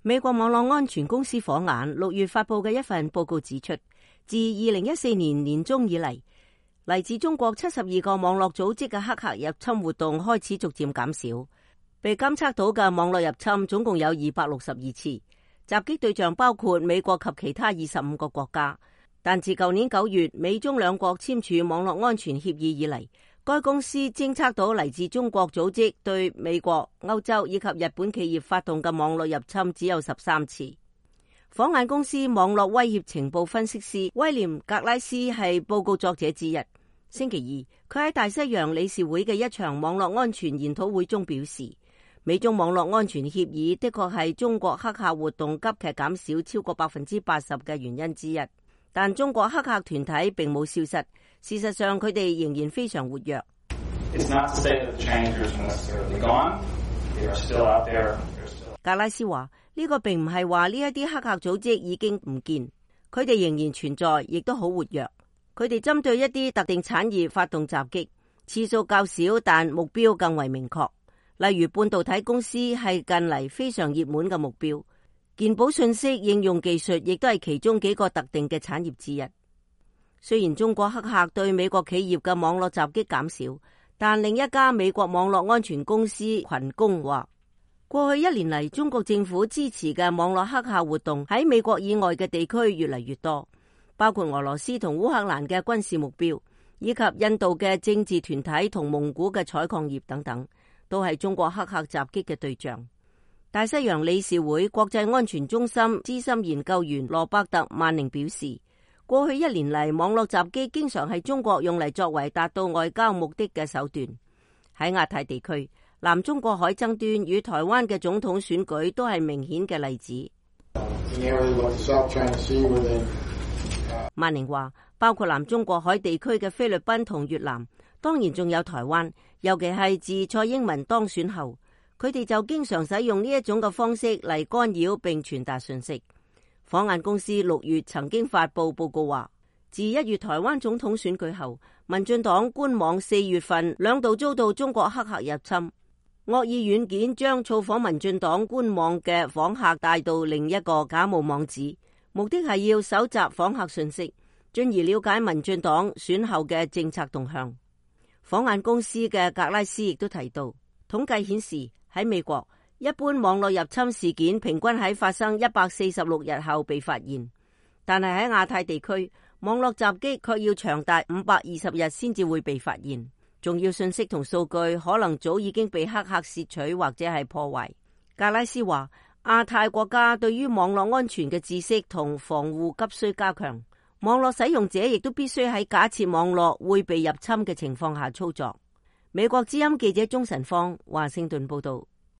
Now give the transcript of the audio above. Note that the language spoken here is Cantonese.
美國網絡安全公司火眼6月發佈嘅一份報告指出，自2014年年中以嚟，嚟自中國72個網絡組織嘅黑客入侵活動開始逐漸減少。被監測到嘅網絡入侵總共有262次，襲擊對象包括美國及其他25個國家。但自舊年9月美中兩國簽署網絡安全協議以嚟，該公司偵測到嚟自中國組織對美國、歐洲以及日本企業發動嘅網絡入侵只有13次。火眼公司網絡威脅情報分析師威廉格拉斯係報告作者之一。星期二，佢喺大西洋理事會嘅一場網絡安全研討會中表示，美中網絡安全協議的確係中國黑客活動急劇減少超過80%嘅原因之一，但中國黑客團體並冇消失，事實上佢哋仍然非常活躍。格拉斯話，呢個並唔係話呢一啲黑客組織已經唔見，佢哋仍然存在，亦都好活躍。佢哋針對一啲特定產業發動襲擊，次數較少，但目標更為明確。例如半導體公司係近嚟非常熱門嘅目標，健保信息應用技術亦都係其中幾個特定嘅產業之一。雖然中國黑客對美國企業嘅網絡襲擊減少，但另一家美國網絡安全公司群攻話，過去1年嚟，中國政府支持嘅網絡黑客活動喺美國以外嘅地區越嚟越多，包括俄羅斯同烏克蘭嘅軍事目標，以及印度嘅政治團體同蒙古嘅採礦業等等，都係中國黑客襲擊嘅對象。大西洋理事會國際安全中心資深研究員羅伯特曼寧表示，過去1年嚟，網絡襲擊經常係中國用嚟作為達到外交目的嘅手段。喺亞太地區，南中國海爭端與台灣嘅總統選舉都係明顯嘅例子。曼寧話，包括南中國海地區嘅菲律賓同越南，當然仲有台灣，尤其係自蔡英文當選後，佢哋就經常使用呢一種嘅方式嚟干擾並傳達信息。火眼公司6月曾經發佈報告話，自1月台灣總統選舉後，民進黨官網4月份2度遭到中國黑客入侵，惡意軟件將造訪民進黨官網嘅訪客帶到另一個假冒網址，目的係要搜集訪客信息，進而了解民進黨選後嘅政策動向。火眼公司嘅格拉斯亦都提到，統計顯示喺美國，一般網絡入侵事件平均喺發生146日後被發現，但係喺亞太地區，網絡襲擊卻要長達520日先至會被發現。重要信息同數據可能早已經被黑客竊取或者係破壞。格拉斯話，亞太國家對於網絡安全嘅知識同防護急需加強，網絡使用者亦都必須喺假設網絡會被入侵嘅情況下操作。美國之音記者鍾晨芳華盛頓報道。